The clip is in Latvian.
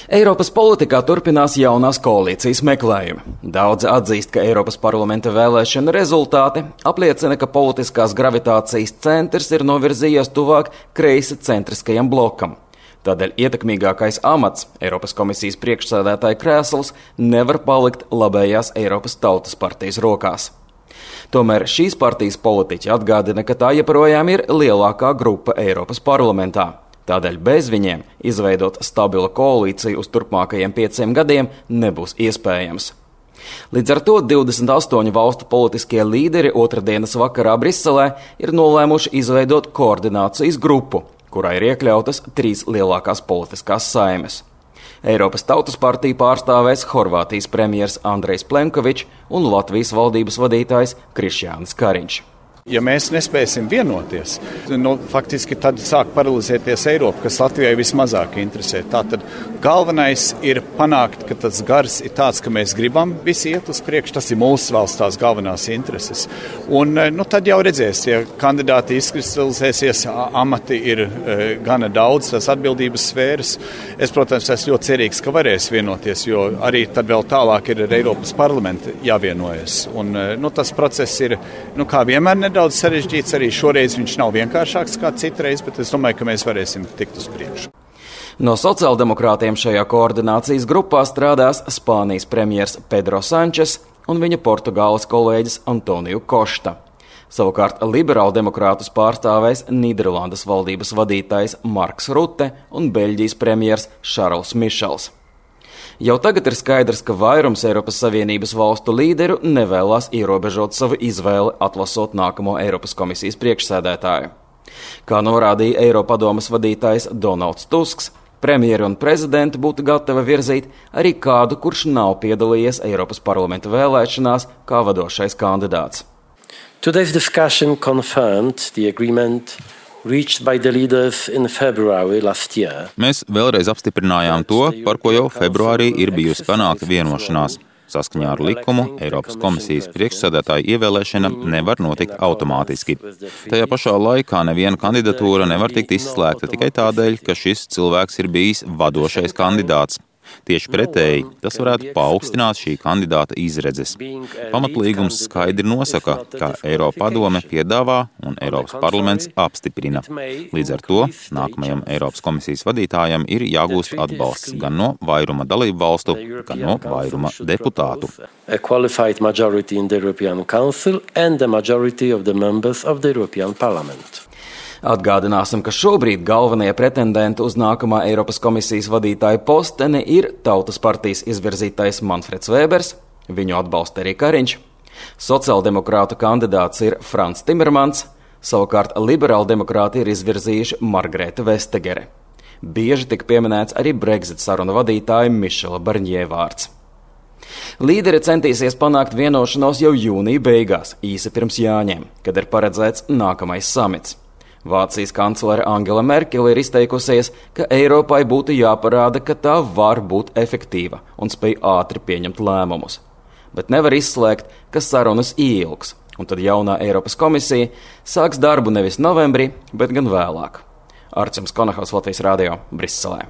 Eiropas politikā turpinās jaunās koalīcijas meklējumi. Daudzi atzīst, ka Eiropas parlamenta vēlēšana rezultāti apliecina, ka politiskās gravitācijas centrs ir novirzījies tuvāk kreisi centriskajam blokam. Tādēļ ietekmīgākais amats, Eiropas komisijas priekšsēdētāja krēsls, nevar palikt labējās Eiropas Tautas partijas rokās. Tomēr šīs partijas politiķi atgādina, ka tā joprojām ir lielākā grupa Eiropas parlamentā. Tādēļ bez viņiem izveidot stabilu koalīciju uz turpmākajiem 5 gadiem nebūs iespējams. Līdz ar to 28 valstu politiskie līderi otrdienas vakarā Briselē ir nolēmuši izveidot koordinācijas grupu, kurā ir iekļautas 3 lielākās politiskās saimes. Eiropas Tautas partiju pārstāvēs Horvātijas premjers Andrejs Plenkovičs un Latvijas valdības vadītājs Krišjānis Kariņš. Ja mēs nespēsim vienoties, faktiski tad sāk paralizēties Eiropa, kas Latvijai vismazāk interesē. Tātad galvenais ir panākt, ka tas gars ir tāds, ka mēs gribam visi iet uz priekšu, tas ir mūsu valsts tās galvenās intereses. Un tad jau redzēs, ja kandidāti izkristalizēsies, amati ir gana daudz, tās atbildības sfēras. Es, protams, esmu ļoti cerīgs, ka varēs vienoties, jo arī tad vēl tālāk ir ar Eiropas parlamentu jāvienojas. Un tas process ir, kā vienmēr, daudz sarežģīts, arī šoreiz viņš nav vienkāršāks kā citreiz, bet es domāju, ka mēs varēsim tikt uz priekšu. No sociāldemokrātiem šajā koordinācijas grupā strādās Spānijas premjers Pedro Sančes un viņa Portugāles kolēģis Antoniju Košta. Savukārt liberāldemokrātus pārstāvēs Nīderlandes valdības vadītājs Marks Rutte un Beļģijas premjers Šarls Mišels. Jau tagad ir skaidrs, ka vairums Eiropas Savienības valstu līderu nevēlas ierobežot savu izvēli atlasot nākamo Eiropas komisijas priekšsēdētāju. Kā norādīja Eiropadomes vadītājs Donalds Tusks, premjeri un prezidenti būtu gatavi virzīt arī kādu, kurš nav piedalījies Eiropas parlamenta vēlēšanās kā vadošais kandidāts. Today's discussion confirmed the agreement reached by the leaders in February last year. Mēs vēlreiz apstiprinājām to, par ko jau februārī ir bijusi panākta vienošanās. Saskaņā ar likumu Eiropas komisijas priekšsēdētāja ievēlēšana nevar notikt automātiski. Tajā pašā laikā neviena kandidatūra nevar tikt izslēgta tikai tādēļ, ka šis cilvēks ir bijis vadošais kandidāts. Tieši pretēji, tas varētu paaugstināt šī kandidāta izredzes. Pamatlīgums skaidri nosaka, ka Eiropadome piedāvā un Eiropas parlaments apstiprina. Līdz ar to nākamajam Eiropas komisijas vadītājam ir jāgūst atbalsts gan no vairuma dalību valstu, gan no vairuma deputātu. A qualified majority in the European Council and the majority of the members of the European Parliament. Atgādināsim, ka šobrīd galvenie pretendenti uz nākamā Eiropas komisijas vadītāja posteni ir Tautas partijas izvirzītais Manfreds Vēbers, viņu atbalsta arī Kariņš, sociāldemokrātu kandidāts ir Frans Timermans, savukārt liberāldemokrāti ir izvirzījuši Margrēta Vestegere. Bieži tika pieminēts arī Brexit sarunu vadītāja Mišela Barņē vārds. Līderi centīsies panākt vienošanos jau jūnija beigās, īsi pirms Jāņiem, kad ir paredzēts nākamais samits. Vācijas kanclere Angela Merkele ir izteikusies, ka Eiropai būtu jāparāda, ka tā var būt efektīva un spēj ātri pieņemt lēmumus. Bet nevar izslēgt, ka sarunas ilgs, un tad jaunā Eiropas komisija sāks darbu nevis novembrī, bet gan vēlāk. Arčuns Konahaus, Latvijas radio, Briselē.